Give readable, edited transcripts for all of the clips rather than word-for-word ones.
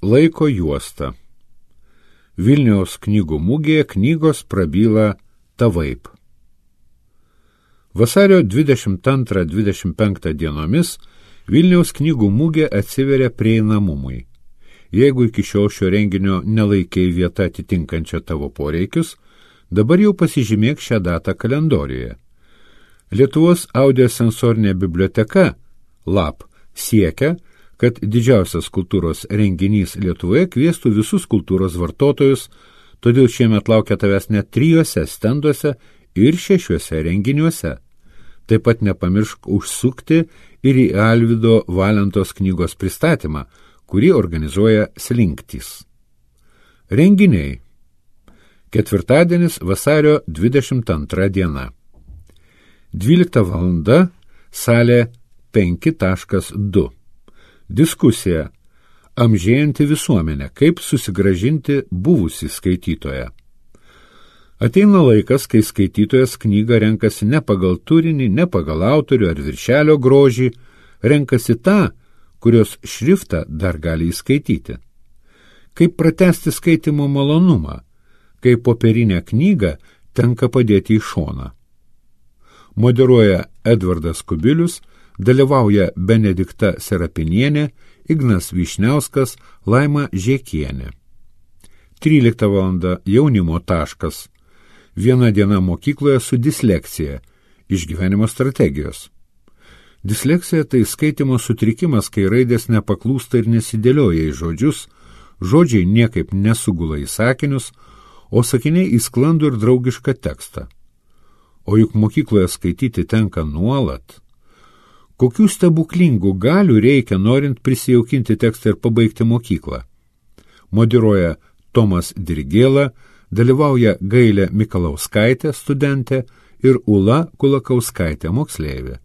Laiko juosta. Vilniaus knygų mugėje knygos prabyla tavaip. Vasario 22-25 dienomis Vilniaus knygų mugė atsiveria prieinamumui. Jeigu iki šiol šio renginio nelaikei vietą atitinkančią tavo poreikius, dabar jau pasižymėk šią datą kalendoriuje. Lietuvos audiosensorinė biblioteka LAB siekia, kad didžiausias kultūros renginys Lietuvoje kviestų visus kultūros vartotojus, todėl šiemet laukia tavęs net 3 stenduose ir 6 renginiuose. Taip pat nepamiršk užsukti ir į Alvydo Valentos knygos pristatymą, kurį organizuoja Slinktys. Renginiai. Ketvirtadienis vasario 22 diena. 12 val. Salė 5.2. Diskusija. Amžėjanti visuomenė. Kaip susigrąžinti buvusį skaitytoją. Ateina laikas, kai skaitytojas knygą renkasi ne pagal turinį, ne pagal autorių ar viršelio grožį, renkasi tą, kurios šriftą dar gali įskaityti. Kaip pratęsti skaitymo malonumą, kai popierinę knygą tenka padėti į šoną. Moderuoja Edvardas Kubilius, dalyvauja Benedikta Serapinienė, Ignas Vyšniauskas, Laima Žiekienė. 13 val. Jaunimo taškas. Viena diena mokykloje su disleksija. Išgyvenimo strategijos. Disleksija tai skaitymo sutrikimas, kai raidės nepaklūsta ir nesidėlioja į žodžius, žodžiai niekaip nesugula į sakinius, o sakiniai į sklandų ir draugišką tekstą. O juk mokykloje skaityti tenka nuolat. Kokių stebuklingų galių reikia, norint prisijaukinti tekstą ir pabaigti mokyklą? Moderuoja Tomas Dirgėla, dalyvauja Gailė Mikalauskaitė, studentė, ir Ula Kulakauskaitė, moksleivė.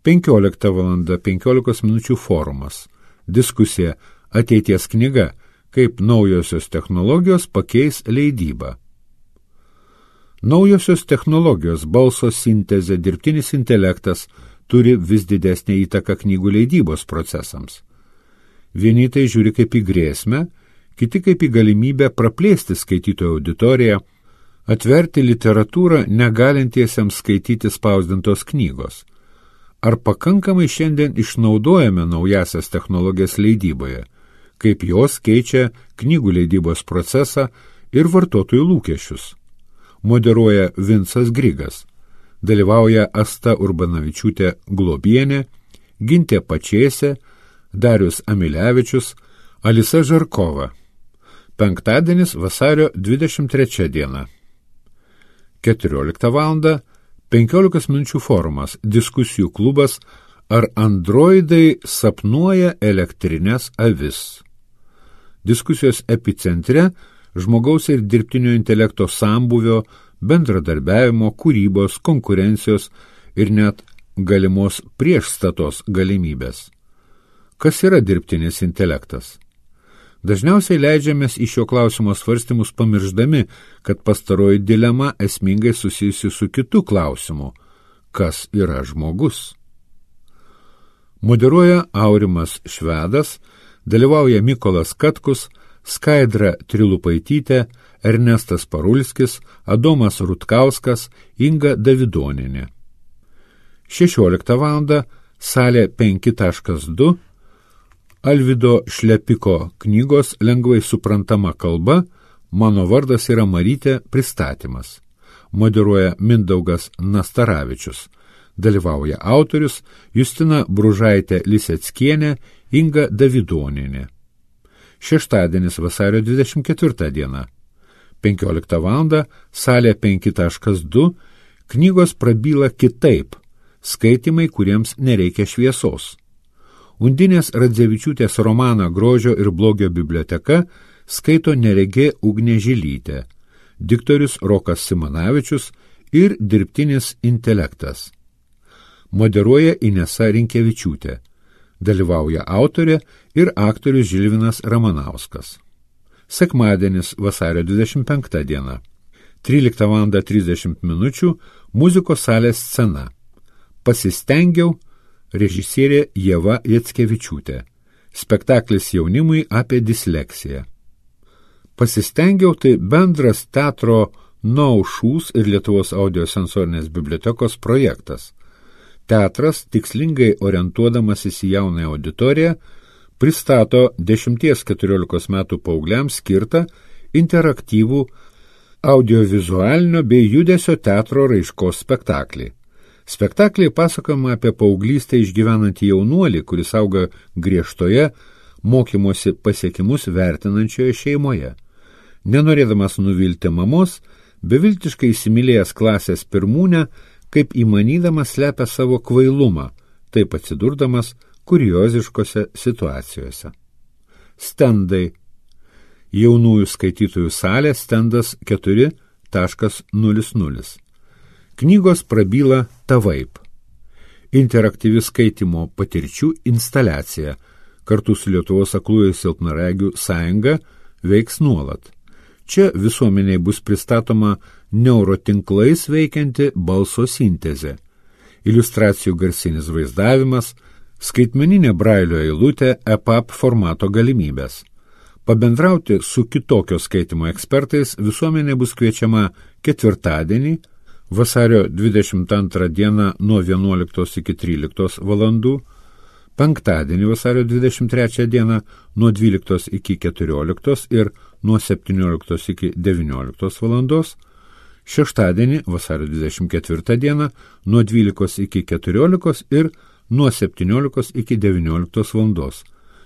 15 val. 15 minučių forumas. Diskusija Ateities knyga, kaip naujosios technologijos pakeis leidybą. Naujosios technologijos, balso sintezė, dirbtinis intelektas turi vis didesnę įtaką knygų leidybos procesams. Vieni tai žiūri kaip į grėsmę, kiti kaip į galimybę praplėsti skaitytojų auditoriją, atverti literatūrą negalintiesiems skaityti spausdintos knygos. Ar pakankamai šiandien išnaudojame naujasias technologijas leidyboje, kaip jos keičia knygų leidybos procesą ir vartotojų lūkesčius? Moderuoja Vincas Grigas, dalyvauja Asta Urbanavičiūtė Globienė, Gintė Pačėsė, Darius Amilevičius, Alisa Žarkova. Penktadienis vasario 23 diena. 14 val. 15 minučių forumas, diskusijų klubas, ar androidai sapnuoja elektrinės avis. Diskusijos epicentre žmogaus ir dirbtinio intelekto sambūvio, bendradarbiavimo, kūrybos, konkurencijos ir net galimos priešstatos galimybės. Kas yra dirbtinis intelektas? Dažniausiai leidžiamės į šio klausimo svarstymus pamirždami, kad pastaroji dilema esmingai susijusi su kitu klausimu – kas yra žmogus? Moderuoja Aurimas Švedas, dalyvauja Mykolas Katkus, Skaidra Trilupaitytė, Ernestas Parulskis, Adomas Rutkauskas, Inga Davidonienė. 16 val. Salė 5.2. Alvydo Šlepiko knygos lengvai suprantama kalba, Mano vardas yra Marytė pristatymas. Moderuoja Mindaugas Nastaravičius. Dalyvauja autorius Justina Bružaitė Liseckienė, Inga Davidonienė. Šeštadienis vasario 24 diena. 15 val. Salė 5.2. Knygos prabyla kitaip. Skaitymai, kuriems nereikia šviesos. Undinės Radzevičiūtės romaną Grožio ir blogio biblioteka skaito neregė Ugnė Žilytė, diktorius Rokas Simanavičius ir dirbtinis intelektas. Moderuoja Inesa Rinkevičiūtė. Dalyvauja autorė ir aktorius Žilvinas Ramanauskas. Sekmadienis vasario 25 diena. 13 val. 30 minučių muzikos salės scena. Pasistengiau, režisierė Ieva Jackevičiūtė. Spektaklis jaunimui apie disleksiją. Pasistengiau, tai bendras teatro Naušūs ir Lietuvos audiosensorinės bibliotekos projektas. Teatras, tikslingai orientuodamasis į jaunąją auditoriją, pristato 10-14 metų paaugliams skirtą interaktyvų audiovizualinio bei judesio teatro raiškos spektaklį. Spektakliai pasakojama apie paauglystę išgyvenantį jaunuolį, kuris auga griežtoje mokymosi pasiekimus vertinančioje šeimoje. Nenorėdamas nuvilti mamos, beviltiškai įsimylėjęs klasės pirmūnę, kaip įmanydamas slepia savo kvailumą, taip atsidurdamas kurioziškose situacijose. Stendai. Jaunųjų skaitytojų salė, stendas 4.00. Knygos prabyla tavaip. Interaktyvi skaitymo patirčių instaliacija kartu su Lietuvos aklųjų silpnaregių sąjunga veiks nuolat. Čia visuomeniai bus pristatoma neurotinklais veikianti balso sintezė, iliustracijų garsinis vaizdavimas, skaitmeninė brailio eilutė, EPUB formato galimybės. Pabendrauti su kitokio skaitimo ekspertais visuomenė bus kviečiama ketvirtadienį, vasario 22 dieną nuo 11 iki 13 valandų, penktadienį vasario 23 dieną nuo 12 iki 14 ir nuo 17 iki 19 valandos, šeštadienį vasario 24 dieną nuo 12 iki 14 ir nuo 17 iki 19 valandos,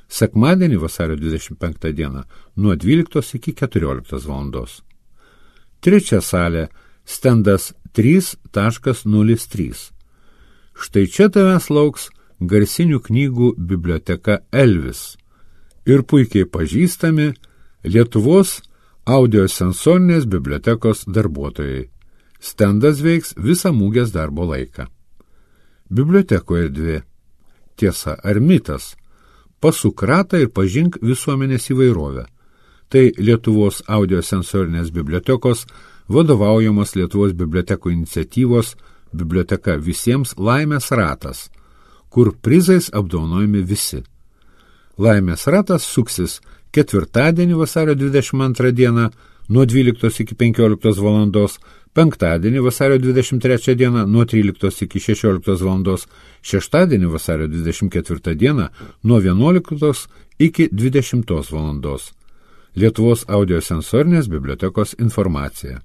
sekmadienį vasario 25 dieną nuo 12 iki 14 valandos. Trečia salė, stendas 3.03. Štai čia tavęs lauks garsinių knygų biblioteka Elvis ir puikiai pažįstami Lietuvos audiosensorinės bibliotekos darbuotojai. Stendas veiks visą mūgės darbo laiką. Bibliotekų erdvė. Tiesa ar mitas? Pasuk ratą ir pažink visuomenės įvairovę. Tai Lietuvos audiosensorinės bibliotekos vadovaujamos Lietuvos bibliotekų iniciatyvos Biblioteka visiems laimės ratas, kur prizais apdovanojami visi. Laimės ratas suksis ketvirtadienį vasario 22 dieną nuo 12 iki 15 valandos, penktadienį vasario 23 dieną nuo 13 iki 16 valandos, šeštadienį vasario 24 dieną nuo 11 iki 20 valandos. Lietuvos audiosensorinės bibliotekos informacija.